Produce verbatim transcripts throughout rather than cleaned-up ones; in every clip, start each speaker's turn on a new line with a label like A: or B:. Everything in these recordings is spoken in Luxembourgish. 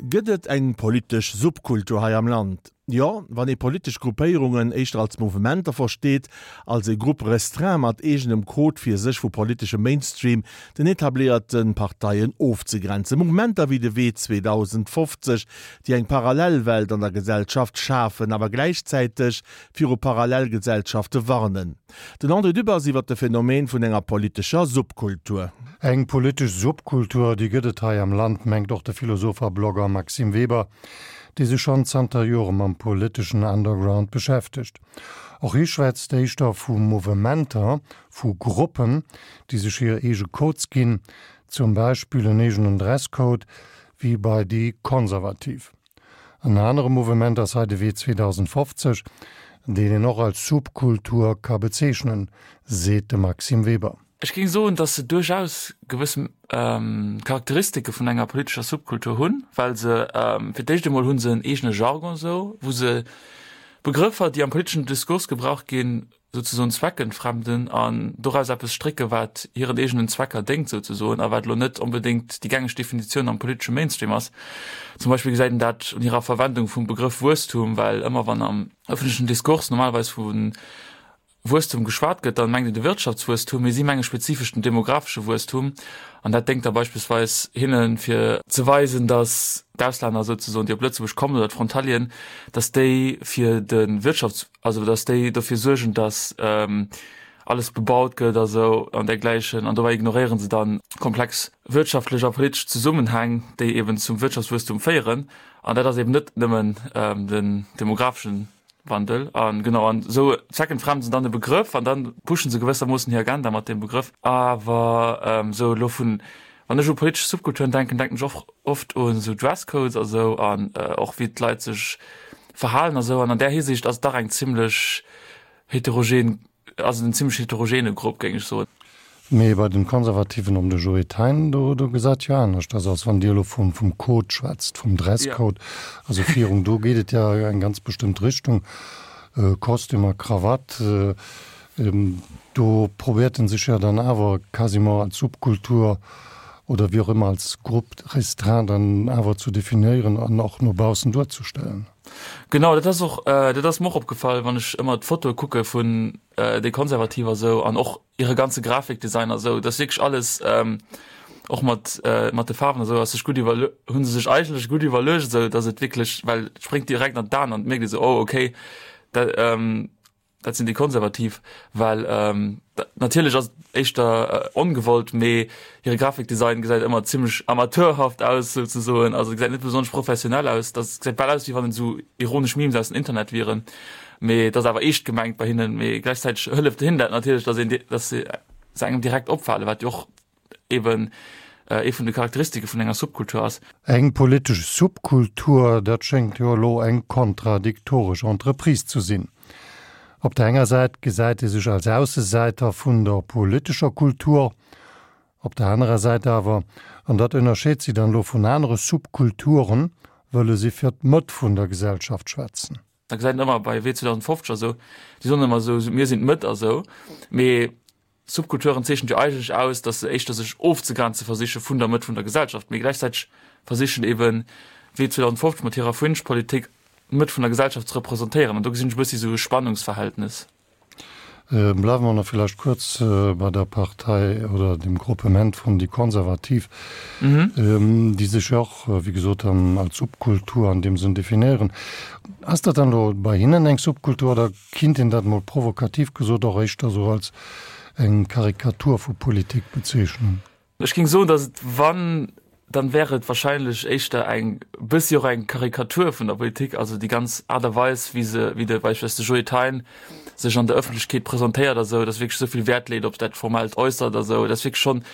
A: Gëtt et eng politesch Subkultur hei am Land? Jo, wann ee politesch Gruppéierungen éischter als Mouvementer versteet, als e Groupe restreint mat eegenem Code fir sech vu politeschem Mainstream, den etabléierte Parteien, ofzegrenzen. Mouvementer wéi de Wee zweedausendfofzeg, déi eng Parallelwelt an der Gesellschaft schafen, awer gläichzäiteg viru Parallelgesellschafte warnen. Den André Dübbers iwwer de Phänomen vun enger politescher Subkultur.
B: Eng politesch Subkultur, déi gëtt et hei am Land, mengt och de Philosoph a Blogger Maxime Weber, dee sech schonn zanter Jore mam politeschen Underground beschäftegt. Och hie schwätzt éischter vu Mouvementer, vu Gruppen, déi sech hir eege Codes ginn, zum Beispill en eegenen Dresscode, wéi bei déi Konservativ. En anere Mouvement ass hei de Wee zweedausendfofzeg, deen een och als Subkultur ka bezeechnen, seet de Maxime Weber.
C: Ech géing soen, datt se duerchaus gewëss Charakteristike vun enger politescher Subkultur hunn, well se, fir d'éischt emol hu se en eegene Jargon esou, wou se Begrëffer, déi am politeschen Diskurs gebraucht ginn, souzesoen zweckentfremden an doraus eppes strécke wat hiren eegenen Zwecker déngt souzesoen a wat elo net onbedéngt déi gängeg Definitioun am politesche Mainstream ass. Zum Beispill gesäit een dat un hirer Verwendung vum Begrëff Wuesstum, well ëmmer wann am ëffentlechen Diskurs normalerweis vu Wuesstum geschwat gëtt, dann mengt een de Wirtschaftswuesstum, mee si menge spezifesch den demographesche Wuesstum. An dat déngt da beispillsweis hinne fir ze weisen, datt d'Auslänner souzesoen, déi op Lëtzebuerg kommen, oder d'Frontalieren, datt déi fir de Wirtschafts-, also datt déi dofir suergen, datt alles bebaut gëtt a sou an dergläichen. An dobäi ignoréiere se dann komplex wirtschaftlech a politesch Zesummenhäng, déi eben zum Wirtschaftswuesstum féieren. An dat ass eben net nëmmen den demographeschen Wandel an genau an esou zweckentfremden se dann de Begrëff an dann pushen se gewëssermoossen hir Agenda mat deem Begrëff. Awer esou elo vun, wann ech u politesch Subkulturen denken, denken ech och oft un esou Dresscodes a sou an och wéi d'Leit sech verhalen a sou an an där Hisiicht ass et dach eng zimlech heterogen, ass et en zimlech heterogene Grupp, géing ech soen.
B: Mee bei den Konservativen ëm de Joe Thein, do do gesäit jo anescht aus, als wann Dir elo vum vum Code schwätzt, vum Dresscode, also Fierung, do geet et ja eng ganz bestëmmt Richtung, Kostüm a Krawatt, do probéiert en sech ja dann awer quasiment als Subkultur oder wéi och ëmmer als Groupe restreint dann awer zu definéieren an och no baussen duerzestellen.
C: Genau, dat ass och, dat ass mer och opgefall, wann ech ëmmer d'Fotoe kucke vun déi Konservativ a sou an och hire ganze Grafikdesign a sou, dat ass wierklech alles och mat mat de Faarwen a sou ass sech gutt iwwer hu se sech eigentlech gutt iwwerluecht esou, datt et wierklech, well et spréngt direkt an d'Aen an et mierkt ee sou, oh okay, dat Dat sinn déi Konservativ, well natierlech ass et éischter ongewollt, mee hire Grafikdesign gesäit ëmmer zimmlech amateurhaft aus souzesoen, also gesäit net besonnesch professionell aus. Dat gesäit bal aus, wéi wann et esou ironesch Memes aus dem Internet wieren, mee et ass awer eescht gemengt bei hinnen. Mee gläichzäiteg hëlleft hinnen dat natierlech, datt een, datt se engem direkt opfalen, wat jo och eben ee vun de Charakteristike vun enger Subkultur ass.
B: Eng politesch Subkultur, dat schéngt jo elo eng kontradiktoresch Entreprise ze sinn. Op der enger Säit gesäit ee sech als Aussesäiter vun der politescher Kultur, op der anerer Säit awer, an dat ënnerscheet si dann elo vun anere Subkulturen, wëlle si fir d'Mëtt vun der Gesellschaft schwätzen.
C: Da gesäit een ëmmer bei W zweedausendfofzeg a sou, déi soen ëmmer esou, mir sinn d'Mëtt a sou, mee Subkulturen zeechent jo eigentlech aus, datt se éischter sech ofzegrenze versiche vun der Mëtt vun der Gesellschaft, mee gläichzäiteg versichen eben W zweedausendfofzeg mat hirer Fringe-Politik d'Mëtt vun der Gesellschaft ze representéieren. An do gesinn ech e bëssi esou e Spannungsverhältnis.
B: Bleiwe mer nach villäicht kuerz bei der Partei oder dem Gruppement vun déi Konservativ, déi sech jo och, wéi gesot, dann als Subkultur an deem Sënn definéieren. Ass dat dann elo bei hinnen eng Subkultur oder kinnt een dat mol provokativ gesot och éischter esou als eng Karikatur vu Politik bezeechnen?
C: Ech géing soen, datt et, wann, dann wär et wahrscheinlech éischter eng bëssi och eng Karikatur vun der Politik, also déi ganz Aart a Weis, wéi se, wéi de beispillsweis de Joe Thein sech an der Ëffentlechkeet presentéiert a sou, datt wierklech esou vill Wäert leet op dat formellt Äussert a sou, dat ass wierklech schonn,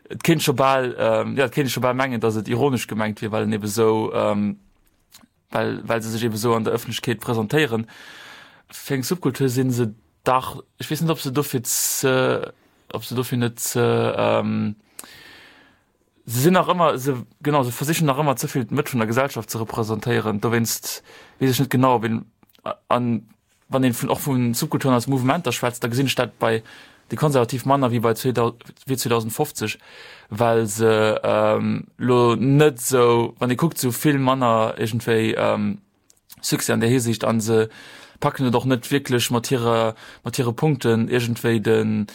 C: et kéint scho bal, jo, et kéint ee scho bal mengen, datt et ironesch gemengt wier, well en ebe sou, well, well se sech ebe sou an der Ëffentlechkeet presentéieren. Fir eng Subkultur si se dach, ech weess net, ob se dofir ze, ob se dofir net ze, se sinn nach ëmmer, se, genau, se versichen nach ëmmer ze vill d'Mëtt vun der Gesellschaft ze representéieren. Dowéinst weess ech net genau, ob een, an wann een vun, och vu Subkulturen als Mouvementer schwätzt, da gesinn ech dat bei déi Konservativ manner wéi bei Wee zweedausendfofzeg, well se elo net esou, wann ee kuckt, se hu vill manner iergendwéi Succès an där Hisiicht a se packen et och net wierklech mat hirer, mat hire Punkten iergendwéi den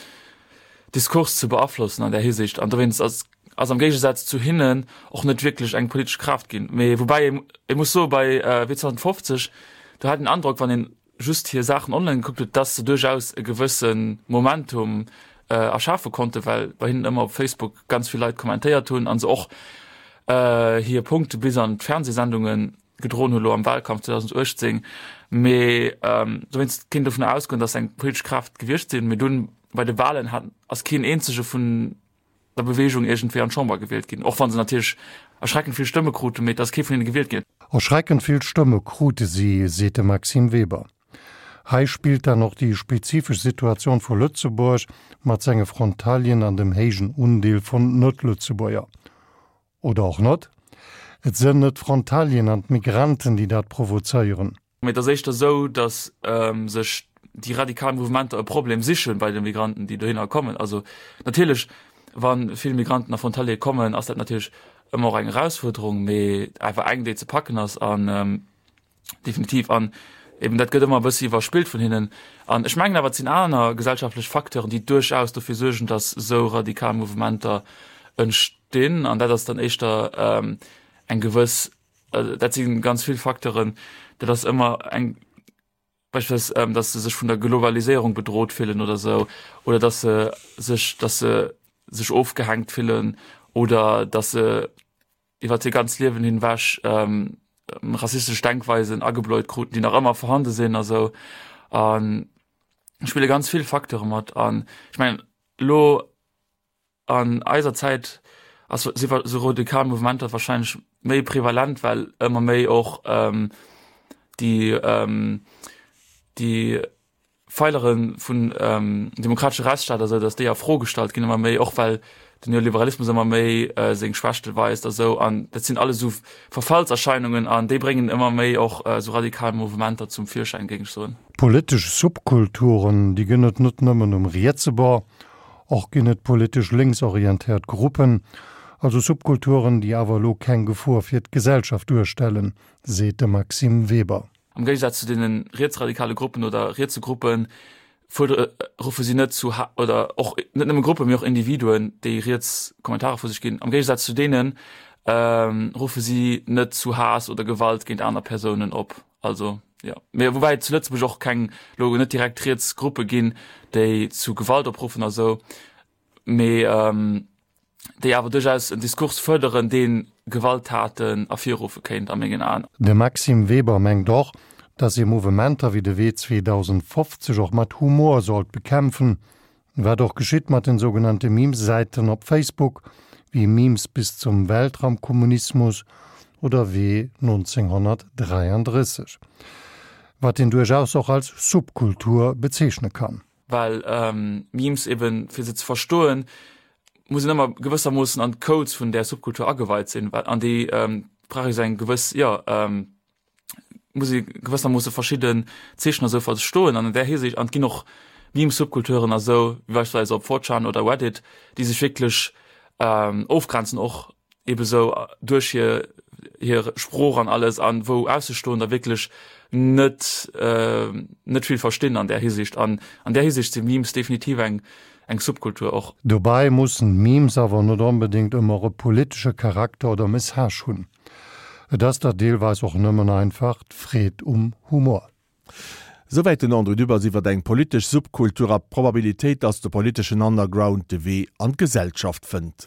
C: Diskurs ze beaflossen an där Hisiicht. An dowéinst ass ass am Géigesaz zu hinnen och net wierklech eng politesch Kraaft ginn. Mee woubäi ee muss soe bei Wee zweedausendfofzeg, do hat een den Androck, wann een just hir Saachen online gekuckt huet, dass se duerchaus e gewësse Momentum erschafe konnten, well bei hinnen ëmmer op Facebook ganz vill Leit kommentéiert hunn a se och hir Punkte bis an d'Fernsehsendunge gedroen hunn, elo am Wahlkampf zweedausendachtzéng. Mee dowéinst kéint een dovun ausgoen, dass se eng politesch Kraaft gewiescht sinn. Mee dunn bei de Wahlen hat ass keen eenzege vun der Beweegung iergendwéi an d'Chamber gewielt ginn, och wa se natierlech erschreckend vill Stëmme kruten, mee et ass kee vun hinne gewielt ginn.
B: Erschreckend vill Stëmme krute si, seet de Maxime Weber. Hei spillt dann och déi spezifesch Situatioun vu Lëtzebuerg mat senge Frontalieren an dem héijen Undeel vun Net-Lëtzebuerger. Oder och net? Et sënn net d'Frontalieren an d'Migranten, déi dat provozéieren.
C: Mee et ass éischter esou, datt sech déi radikal Mouvementer e Problem siche bei de Migranten, déi dohinner kommen. Also natierlech, wa vill Migranten a Frontaliere kommen, ass dat natierlech ëmmer och eng Erausfuerderung, mee awer eng, déi ze packen ass an definitiv. An eben dat gëtt ëmmer e bëssi iwwerspillt vun hinnen. An ech mengen awer, et sinn aner gesellschaftlech Facteuren, déi duerchaus dofir suergen, datt esou radikal Mouvementer entstinn. An dat ass dann éischter eng gewëss, dat si ganz vill Facteuren, dat ass ëmmer eng, beispillsweis, datt se sech vun der Globaliséierung bedrot fillen oder esou, oder datt se sech, datt se sech ofgehänkt fillen oder datt se iwwer hir ganz Liewen hinwech rassistesch Denkweisen agebläut kruten, déi nach ëmmer vorhande sinn a sou. An spille ganz vill Facteure mat. An ech mengen elo an eiser Zäit ass si sou radikal Mouvementer wahrscheinlech méi prevalent, well ëmmer méi och déi déi Feilere vun demokratesche Rechtsstaat a sou, datt déi a Fro gestallt ginn ëmmer méi, och well den Neoliberalismus ëmmer méi seng Schwächte weist a sou. An dat sinn alles esou Verfallserscheinungen an déi bréngen ëmmer méi och esou radikal Mouvementer zum Virschäin, géing ech soen.
B: Politesch Subkulturen, déi gënn et net nëmmen um rietse Bord, och ginn et politesch lénksorientéiert Gruppen, also Subkulturen, déi awer elo keng Gefor fir d'Gesellschaft duerstellen, seet de Maxime Weber.
C: Am Géigesaz zu deene rietsradikale Gruppen oder rietse Gruppen fuerdere ruffe si net zu oder och net nëmme Gruppen, mee och Individuen, déi riets Kommentarer vu sech ginn, am Géigesaz zu deene ruffe si net zu Haass oder Gewalt géint aner Persounen op. Also jo, mee woubäi et zu Lëtzebuerg och keng elo net direkt riets Gruppe ginn, déi zu Gewalt opruffen a sou, mee déi awer duerchaus en Diskurs fërderen, dee Gewalttaten ervirruffe kéint a mengen Aen.
B: De Maxime Weber mengt och, datt ee Mouvementer wéi de Wee zweedausendfofzeg och mat Humor sollt bekämpfen, wat och geschitt mat den sougenannte Memes-Säiten op Facebook, wéi Memes bis zum Weltraumkommunismus oder Wee nonzénghonnertdräiandrësseg, wat een duerchaus och als Subkultur bezeechne kann.
C: Well Memes eben, fir se ze verstoen, muss een ëmmer gewëssermoossen an d'Codes vun där Subkultur ageweit sinn, well an déi brauch ee sou eng gewëss, jo, muss ee gewëssermoosse verschidden Zeechen a sou verstoen an an där Hisiicht. An et ginn och Meme-Subkulturen a sou, wéi beispillsweis op four chan oder Reddit, déi sech wierklech ofgrenzen och ebe sou duerch hir hir Sprooch an alles an wou Aussestoender wierklech net net vill verstinn an där Hisiicht. An an där Hisiicht si Memes definitiv eng eng Subkultur och.
B: Dobäi mussen Memes awer net onbedéngt ëmmer e politesche Charakter oder Message hunn. Et ass der deelweis och nëmmen einfach d'Freed um Humor.
A: Souwäit den André Dübbers iwwer eng politesch Subkultur a d'Probabilitéit, dass de politeschen Underground de Wee an d'Gesellschaft fënnt.